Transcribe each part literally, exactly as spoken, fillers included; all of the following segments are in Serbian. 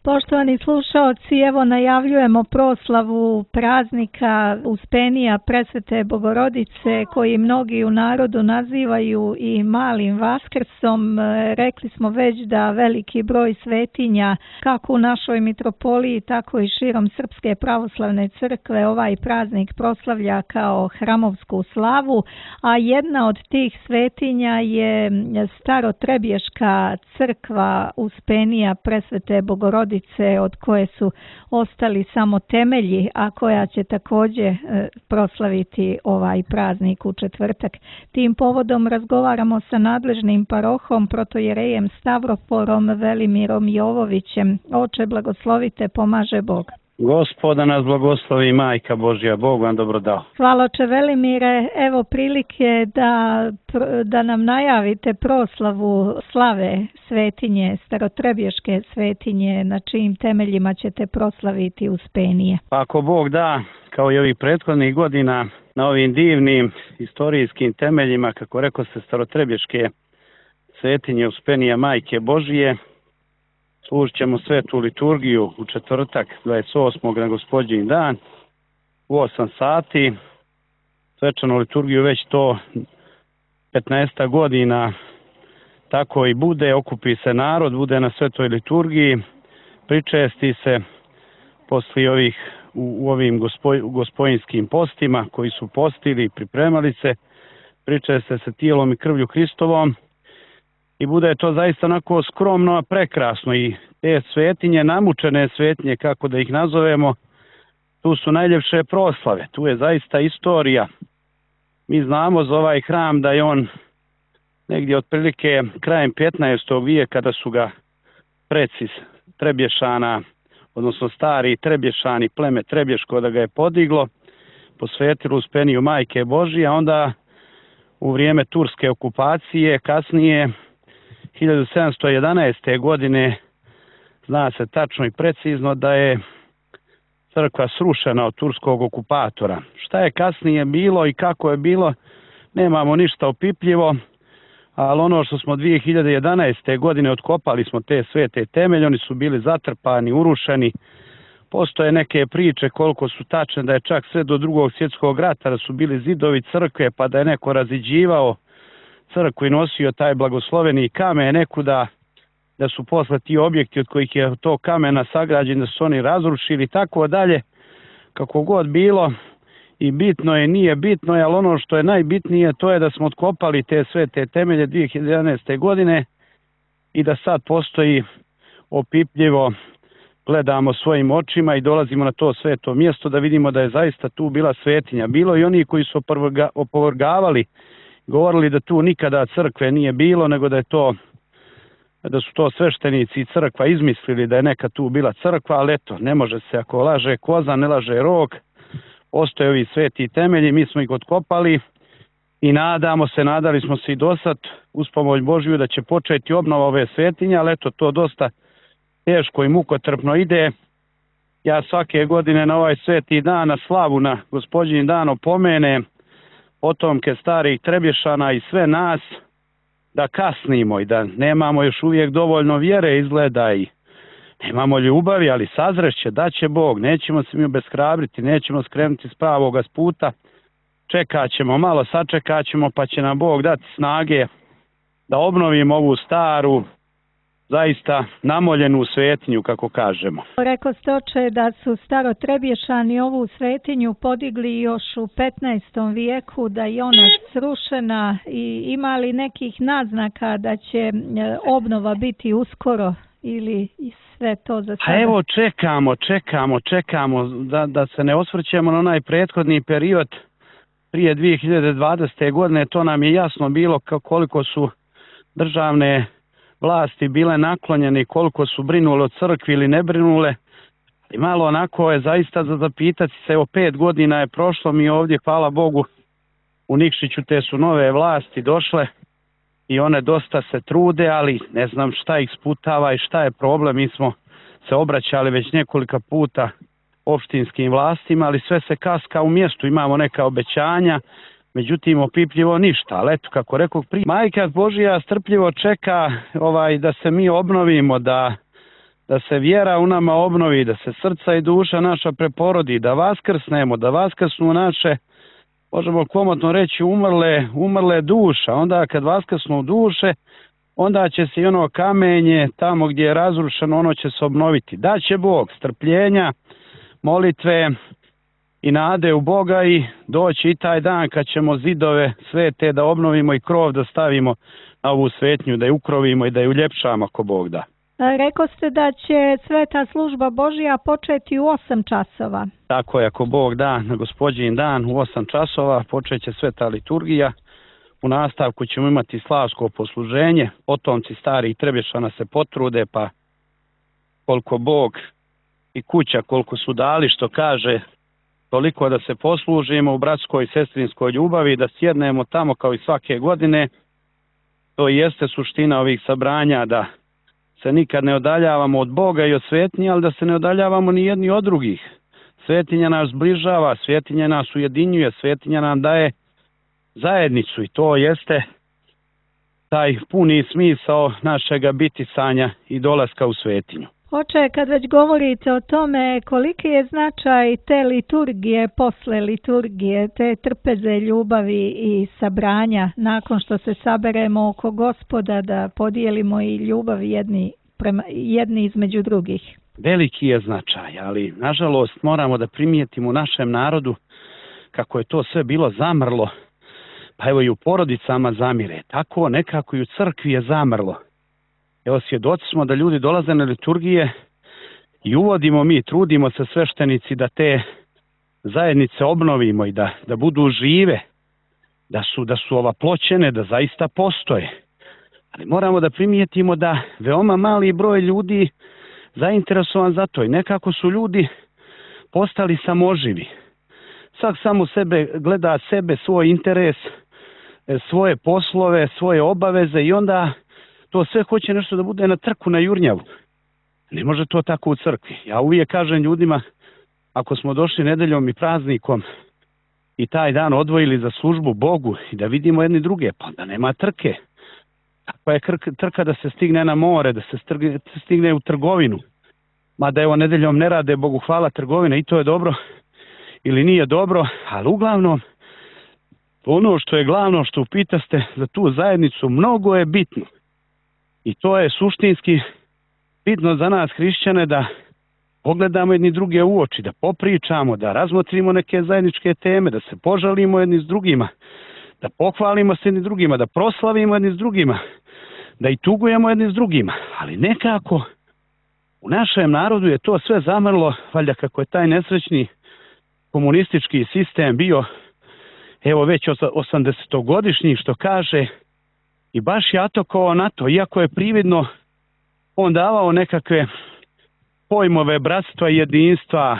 Poštovani slušaoci, evo najavljujemo proslavu praznika Uspenija Presvete Bogorodice, koji mnogi u narodu nazivaju i malim Vaskrsom. Rekli smo već da veliki broj svetinja, kako u našoj mitropoliji, tako i širom Srpske pravoslavne crkve, ovaj praznik proslavlja kao hramovsku slavu, a jedna od tih svetinja je Starotrebješka crkva Uspenija Presvete Bogorodice, od koje su ostali samo temelji, a koja će također proslaviti ovaj praznik u četvrtak. Tim povodom razgovaramo sa nadležnim parohom, protojerejem Stavroporom Velimirom Jovovićem. Oče, blagoslovite, pomaže Bog. Gospoda nas blagoslovi, Majka Božja, Bog vam dobro dao. Hvala, oče Velimire. Evo prilike da, da nam najavite proslavu slave svetinje, Starotrebješke svetinje, na čijim temeljima ćete proslaviti Uspenije. Pa ako Bog da, kao i ovih prethodnih godina, na ovim divnim istorijskim temeljima, kako rekao se, Starotrebješke svetinje Uspenija Majke Božije, služit ćemo svetu liturgiju u četvrtak dvadeset osmog na Gospodnji dan u osam sati. Svečanu liturgiju već to petnaest godina tako i bude, okupi se narod, bude na svetoj liturgiji, pričesti se posle ovih u, u ovim gospoj, gospojinskim postima koji su postili i pripremali se, pričeste se tijelom i krvlju Hristovom. I bude to zaista onako skromno, a prekrasno. I te svetinje, namučene svetinje, kako da ih nazovemo, tu su najljepše proslave. Tu je zaista istorija. Mi znamo za ovaj hram da je on negdje otprilike krajem petnaestog vijeka, kada su ga preci Trebješana, odnosno stari Trebješani, pleme Trebješko, da ga je podiglo, posvetilo Uspeniju Majke Božije, a onda u vrijeme turske okupacije, kasnije hiljadu sedamsto jedanaeste. godine, zna se tačno i precizno da je crkva srušena od turskog okupatora. Šta je kasnije bilo i kako je bilo, nemamo ništa opipljivo, ali ono što smo dvije hiljade jedanaeste. godine otkopali smo te svete temelje, oni su bili zatrpani, urušeni. Postoje neke priče koliko su tačne, da je čak sve do drugog svjetskog rata, da su bili zidovi crkve, pa da je neko raziđivao crkvu i nosio taj blagosloveni kamen nekuda, da su posle ti objekti od kojih je to kamena sagrađen, da su oni razrušili, tako dalje. Kako god bilo, i bitno je, nije bitno je, ali ono što je najbitnije, to je da smo otkopali te sve te temelje dvije hiljade jedanaeste. godine i da sad postoji opipljivo, gledamo svojim očima i dolazimo na to sveto mjesto da vidimo da je zaista tu bila svetinja. Bilo i oni koji su opovrgavali, govorili da tu nikada crkve nije bilo, nego da je to, da su to sveštenici i crkva izmislili da je neka tu bila crkva, ali eto, ne može se, ako laže koza, ne laže rog. Ostoje ovi sveti temelji, mi smo ih otkopali i nadamo se, nadali smo se i dosad uz pomoć Božju da će početi obnova ove svetinje, ali eto, to dosta teško i mukotrpno ide. Ja svake godine na ovaj sveti dan, na slavu, na Gospodnji dan opomenem potomke starih Trebješana i sve nas da kasnimo i da nemamo još uvijek dovoljno vjere, izgleda, i nemamo ljubavi, ali sazreće, da će Bog, nećemo se mi obeshrabriti, nećemo skrenuti s pravoga puta, čekat ćemo malo, sačekat ćemo, pa će nam Bog dati snage da obnovimo ovu staru, zaista namoljenu svetinju, kako kažemo. Rekao ste, oče, da su Starotrebješani ovu svetinju podigli još u petnaestom vijeku, da je ona srušena, i ima li nekih naznaka da će obnova biti uskoro ili sve to za sada? A evo, čekamo, čekamo, čekamo da, da se ne osvrćemo na onaj prethodni period prije dvije hiljade dvadesete. godine. To nam je jasno bilo koliko su državne vlasti bile naklonjene i koliko su brinule o crkvi ili ne brinule. I malo onako je zaista za zapitati se, evo pet godina je prošlo, mi ovdje, hvala Bogu, u Nikšiću te su nove vlasti došle i one dosta se trude, ali ne znam šta ih sputava i šta je problem. Mi smo se obraćali već nekolika puta opštinskim vlastima, ali sve se kaska u mjestu, imamo neka obećanja, međutim opipljivo ništa. Ali eto, kako rekao prije, Majka Božja strpljivo čeka ovaj da se mi obnovimo, da da se vjera u nama obnovi, da se srca i duša naša preporodi, da vaskrsnemo, da vaskrsnu naše, možemo komotno reći, umrle, umrle duša. Onda kad vaskrsnu duše, onda će se i ono kamenje tamo gdje je razrušeno, ono će se obnoviti. Da će Bog strpljenja, molitve i nade u Boga i doći i taj dan kad ćemo zidove svete da obnovimo i krov da stavimo na ovu svetnju, da je ukrovimo i da je uljepšamo ako Bog da. Rekao ste da će sveta služba Božja početi u osam časova. Tako je, ako Bog da, na Gospodnji dan u osam časova počeće sveta liturgija. U nastavku ćemo imati slavsko posluženje, potomci starih Trebješana se potrude, pa koliko Bog i kuća, koliko su dali, što kaže, toliko da se poslužimo u bratskoj i sestrinskoj ljubavi, da sjednemo tamo kao i svake godine. To jeste suština ovih sabranja, da se nikad ne odaljavamo od Boga i od svetnje, ali da se ne odaljavamo ni jedni od drugih. Svetinja nas zbližava, svetinja nas ujedinjuje, svetinja nam daje zajednicu i to jeste taj puni smisao našega bitisanja i dolaska u svetinju. Oče, kad već govorite o tome, koliki je značaj te liturgije, posle liturgije, te trpeze, ljubavi i sabranja, nakon što se saberemo oko Gospoda, da podijelimo i ljubav jedni, prema, jedni između drugih? Veliki je značaj, ali nažalost moramo da primijetimo u našem narodu kako je to sve bilo zamrlo, pa evo i u porodicama zamire, tako nekako i u crkvi je zamrlo. Evo, svjedoci smo da ljudi dolaze na liturgije i uvodimo mi, trudimo se sveštenici da te zajednice obnovimo i da, da budu žive, da su, da su ovaploćene, da zaista postoje. Ali moramo da primijetimo da veoma mali broj ljudi zainteresovan za to i nekako su ljudi postali samoživi. Svak samo sebe gleda sebe, svoj interes, svoje poslove, svoje obaveze i onda to sve hoće nešto da bude na trku, na jurnjavu. Ne može to tako u crkvi. Ja uvijek kažem ljudima, ako smo došli nedeljom i praznikom i taj dan odvojili za službu Bogu i da vidimo jedni druge, pa da nema trke. Takva je trka da se stigne na more, da se stigne u trgovinu. Mada evo nedeljom ne rade, Bogu hvala, trgovine i to je dobro ili nije dobro, ali uglavnom ono što je glavno što upitaste za tu zajednicu mnogo je bitno. I to je suštinski bitno za nas hrišćane da pogledamo jedni druge u oči, da popričamo, da razmotrimo neke zajedničke teme, da se požalimo jedni s drugima, da pohvalimo se jedni s drugima, da proslavimo jedni s drugima, da i tugujemo jedni s drugima. Ali nekako u našem narodu je to sve zamrlo, valjda kako je taj nesrećni komunistički sistem bio, evo već osamdesetogodišnji, što kaže, i baš je atakovao na to, iako je prividno on davao nekakve pojmove bratstva i jedinstva,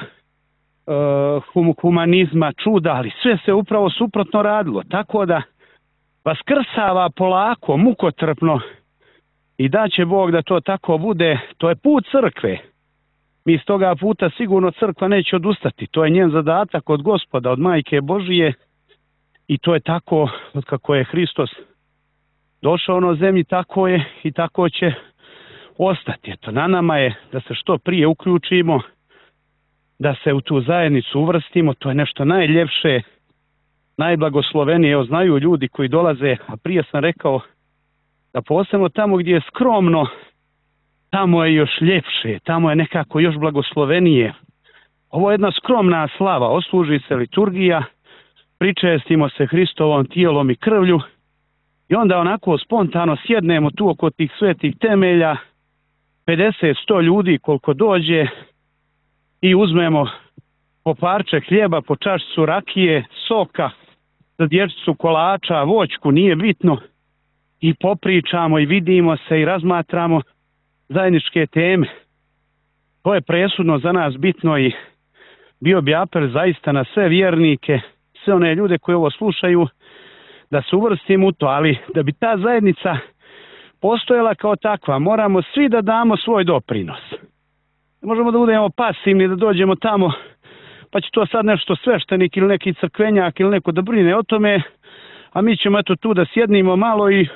hum, humanizma, čuda, ali sve se upravo suprotno radilo. Tako da vaskrsava polako, mukotrpno i da će Bog da to tako bude, to je put crkve. Mi iz toga puta sigurno crkva neće odustati. To je njen zadatak od Gospoda, od Majke Božije i to je tako od kako je Hristos došao na zemlji, tako je i tako će ostati. Eto, na nama je da se što prije uključimo, da se u tu zajednicu uvrstimo, to je nešto najljepše, najblagoslovenije. Evo, znaju ljudi koji dolaze, a prije sam rekao da posebno tamo gdje je skromno, tamo je još ljepše, tamo je nekako još blagoslovenije. Ovo je jedna skromna slava, osluži se liturgija, pričestimo se Hristovom tijelom i krvlju i onda onako spontano sjednemo tu oko tih svetih temelja, pedeset sto ljudi koliko dođe i uzmemo po parče hljeba, po čašicu rakije, soka, za dječicu kolača, voćku, nije bitno, i popričamo i vidimo se i razmatramo zajedničke teme. To je presudno za nas bitno i bio bi apel zaista na sve vjernike, sve one ljude koji ovo slušaju, da se uvrstimo u to, ali da bi ta zajednica postojala kao takva, moramo svi da damo svoj doprinos. Ne možemo da budemo pasivni, da dođemo tamo, pa će to sad nešto sveštenik ili neki crkvenjak ili neko da brine o tome, a mi ćemo eto tu da sjednimo malo i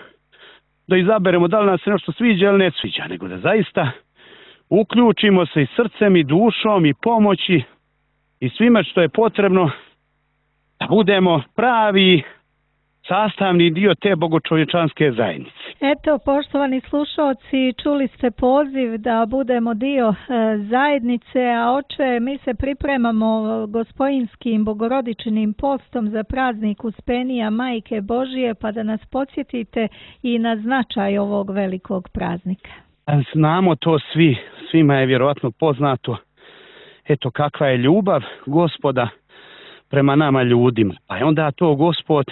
da izaberemo da li nam se nešto sviđa ili ne sviđa, nego da zaista uključimo se i srcem i dušom i pomoći i svime što je potrebno da budemo pravi sastavni dio te bogočovječanske zajednice. Eto, poštovani slušalci, čuli ste poziv da budemo dio e, zajednice, a oče, mi se pripremamo Gospojinskim bogorodičinim postom za praznik Uspenija Majke Božije, pa da nas podsjetite i na značaj ovog velikog praznika. Znamo to svi, svima je vjerojatno poznato, eto kakva je ljubav Gospoda prema nama ljudima. Pa je onda to Gospod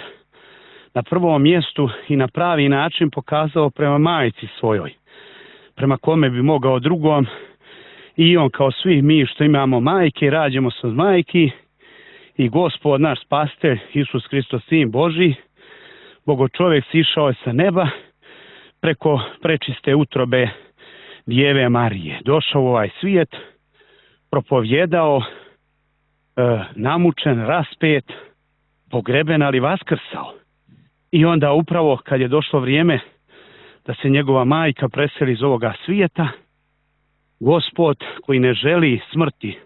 na prvom mjestu i na pravi način pokazao prema majci svojoj, prema kome bi mogao drugom, i on kao svi mi što imamo majke, rađemo se od majki, i Gospod naš spasitelj Isus Hristos, Sin Božji, Bogočovjek sišao je sa neba preko prečiste utrobe Djeve Marije. Došao u ovaj svijet, propovjedao, e, namučen, raspet, pogreben, ali vaskrsao. I onda upravo kad je došlo vrijeme da se njegova majka preseli iz ovoga svijeta, Gospod koji ne želi smrti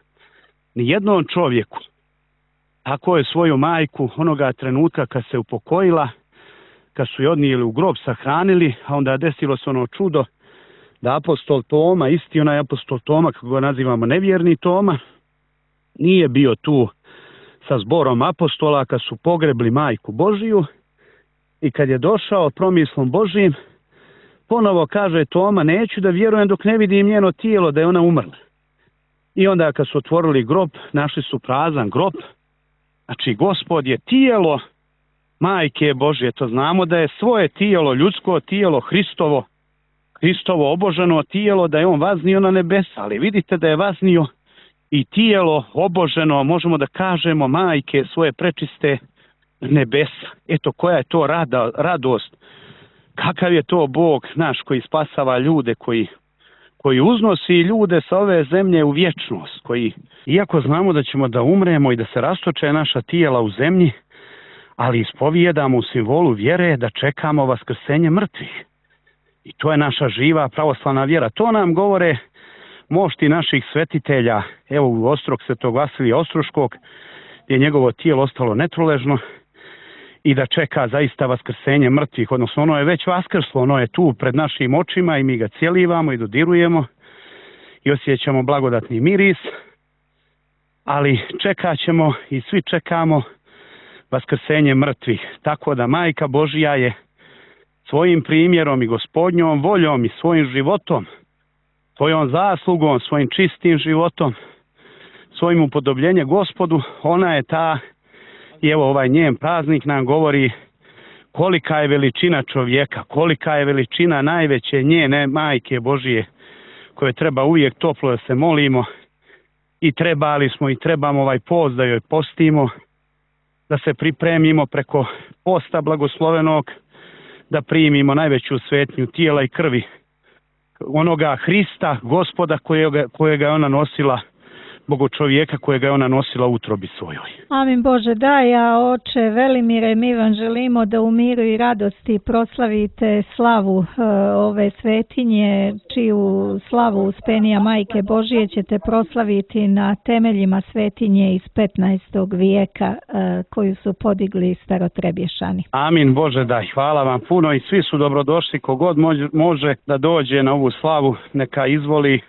ni jednom čovjeku, tako je svoju majku onoga trenutka kad se upokojila, kad su je odnijeli u grob, sahranili, a onda desilo se ono čudo da apostol Toma, isti onaj apostol Toma, kako ga nazivamo nevjerni Toma, nije bio tu sa zborom apostola kad su pogrebli majku Božiju, i kad je došao promislom Božijim, ponovo kaže Toma, neću da vjerujem dok ne vidim njeno tijelo da je ona umrla. I onda kad su otvorili grob, našli su prazan grob. Znači, Gospod je tijelo majke Božje, to znamo da je svoje tijelo, ljudsko tijelo, Hristovo, Hristovo oboženo tijelo, da je on vaznio na nebesa, ali vidite da je vaznio i tijelo oboženo, možemo da kažemo, majke svoje prečiste nebesa. Eto, koja je to rada, radost, kakav je to Bog naš koji spasava ljude, koji, koji uznosi ljude sa ove zemlje u vječnost, koji, iako znamo da ćemo da umremo i da se rastoče naša tijela u zemlji, ali ispovijedamo u simbolu vjere da čekamo vaskrsenje mrtvih. I to je naša živa pravoslavna vjera. To nam govore mošti naših svetitelja, evo u Ostrog svetog Vasilija Ostroškog, gdje je njegovo tijelo ostalo netruležno, i da čeka zaista vaskrsenje mrtvih, odnosno ono je već vaskrslo, ono je tu pred našim očima i mi ga cijelivamo i dodirujemo i osjećamo blagodatni miris, ali čekat ćemo i svi čekamo vaskrsenje mrtvih, tako da Majka Božja je svojim primjerom i Gospodnjom voljom i svojim životom, svojom zaslugom, svojim čistim životom, svojim upodobljenjem Gospodu, ona je ta. I evo ovaj njen praznik nam govori kolika je veličina čovjeka, kolika je veličina najveće njene Majke Božije, koje treba uvijek toplo da se molimo, i trebali smo i trebamo ovaj post da joj postimo, da se pripremimo preko posta blagoslovenog, da primimo najveću svetnju tijela i krvi onoga Hrista, Gospoda kojega, kojega je ona nosila, Bogočovjeka kojega je ona nosila u utrobi svojoj. Amin Bože, daj, a oče Velimire, mi vam želimo da u miru i radosti proslavite slavu e, ove svetinje, čiju slavu Uspenija Majke Božije ćete proslaviti na temeljima svetinje iz petnaestog vijeka e, koju su podigli Starotrebješani. Amin Bože, daj, hvala vam puno i svi su dobrodošli, kogod može, može da dođe na ovu slavu, neka izvoli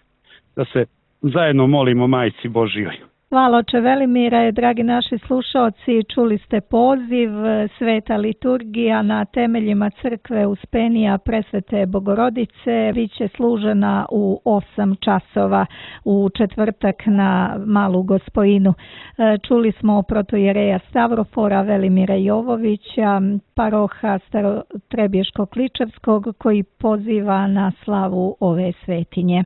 da se zajedno molimo Majci Božjoj. Hvala oče Velimire, dragi naši slušalci, čuli ste poziv, sveta liturgija na temeljima crkve Uspenija Presvete Bogorodice biće služena u osam časova u četvrtak na Malu Gospojinu. Čuli smo protojereja Stavrofora Velimira Jovovića, paroha Starotrebješko-Kličevskog, koji poziva na slavu ove svetinje.